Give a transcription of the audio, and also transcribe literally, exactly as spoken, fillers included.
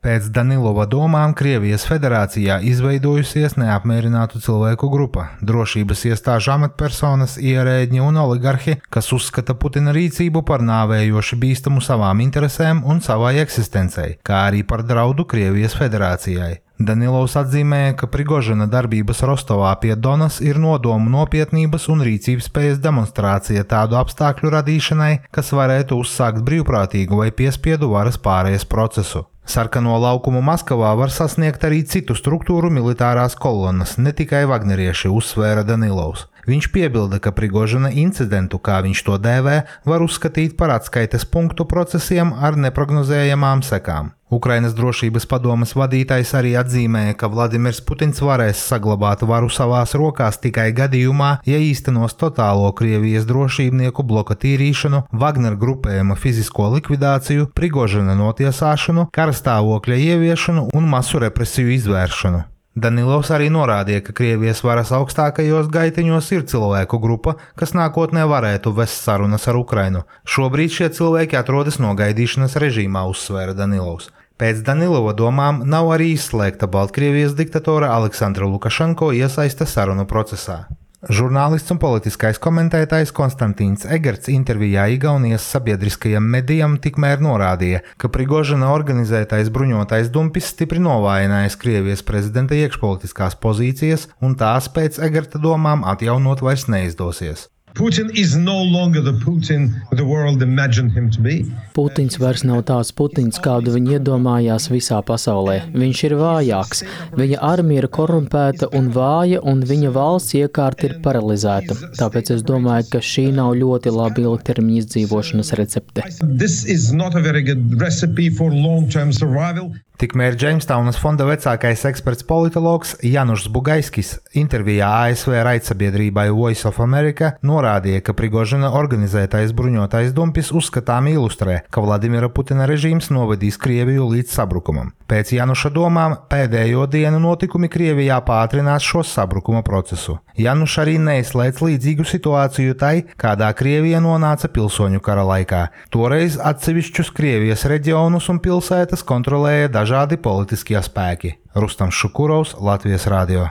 Pēc Danilova domām Krievijas federācijā izveidojusies neapmierinātu cilvēku grupa – drošības iestāžu amatpersonas, ierēdņi un oligarhi, kas uzskata Putina rīcību par nāvējoši bīstamu savām interesēm un savai eksistencei, kā arī par draudu Krievijas federācijai. Danilovs atzīmēja, ka Prigožina darbības Rostovā pie Donas ir nodomu nopietnības un rīcības spējas demonstrācija tādu apstākļu radīšanai, kas varētu uzsākt brīvprātīgu vai piespiedu varas pārējas procesu. Sarkano laukumu Maskavā var sasniegt arī citu struktūru militārās kolonas, ne tikai vagnerieši, uzsvēra Danilovs. Viņš piebilda, ka Prigožina incidentu, kā viņš to dēvē, var uzskatīt par atskaites punktu procesiem ar neprognozējamām sekām. Ukrainas drošības padomes vadītājs arī atzīmēja, ka Vladimirs Putins varēs saglabāt varu savās rokās tikai gadījumā, ja īstenos totālo Krievijas drošībnieku bloka tīrīšanu, Wagner grupējuma fizisko likvidāciju, Prigožina notiesāšanu, karastāvokļa ieviešanu un masu represiju izvēršanu. Danilovs arī norādīja, ka Krievijas varas augstākajos gaiteņos ir cilvēku grupa, kas nākotnē varētu vest sarunas ar Ukrainu. Šobrīd šie cilvēki atrodas nogaidīšanas režīmā, uzsvēra Danilovs. Pēc Danilova domām nav arī izslēgta Baltkrievijas diktatora Aleksandra Lukašenko iesaiste sarunu procesā. Žurnālists un politiskais komentētājs Konstantīns Egerts intervijā Igaunijas sabiedriskajam medijam tikmēr norādīja, ka Prigožina organizētais bruņotais dumpis stipri novājinājis Krievijas prezidenta iekšpolitiskās pozīcijas, un tās pēc Egerta domām atjaunot vairs neizdosies. Putin is no longer the Putin the world imagined him to be. Putins vairs nav tāds Putins, kādu viņi iedomājās visā pasaulē. Viņš ir vājāks, viņa armija ir korumpēta un vāja, un viņa valsts iekārta ir paralizēta. Tāpēc es domāju, ka šī nav ļoti laba ilgtermiņa izdzīvošanas recepte. This is not a very good recipe for long-term survival. Tikmēr Džeimstaunas fonda vecākais eksperts politologs Janušs Bugaiskis intervijā A S V raidsabiedrībai Voice of America norādīja, ka Prigožina organizētais bruņotais dumpis uzskatām ilustrē, ka Vladimira Putina režīms novedīs Krieviju līdz sabrukumam. Pēc Januša domām pēdējo dienu notikumi Krievijā pātrinās šo sabrukuma procesu. Januš arī neizslēdz līdzīgu situāciju tai, kādā Krievija nonāca pilsoņu kara laikā. Toreiz atsevišķus Krievijas reģionus un pilsētas kontrolēja dažādi politiskie spēki. Rustams Šukurovs, Latvijas radio.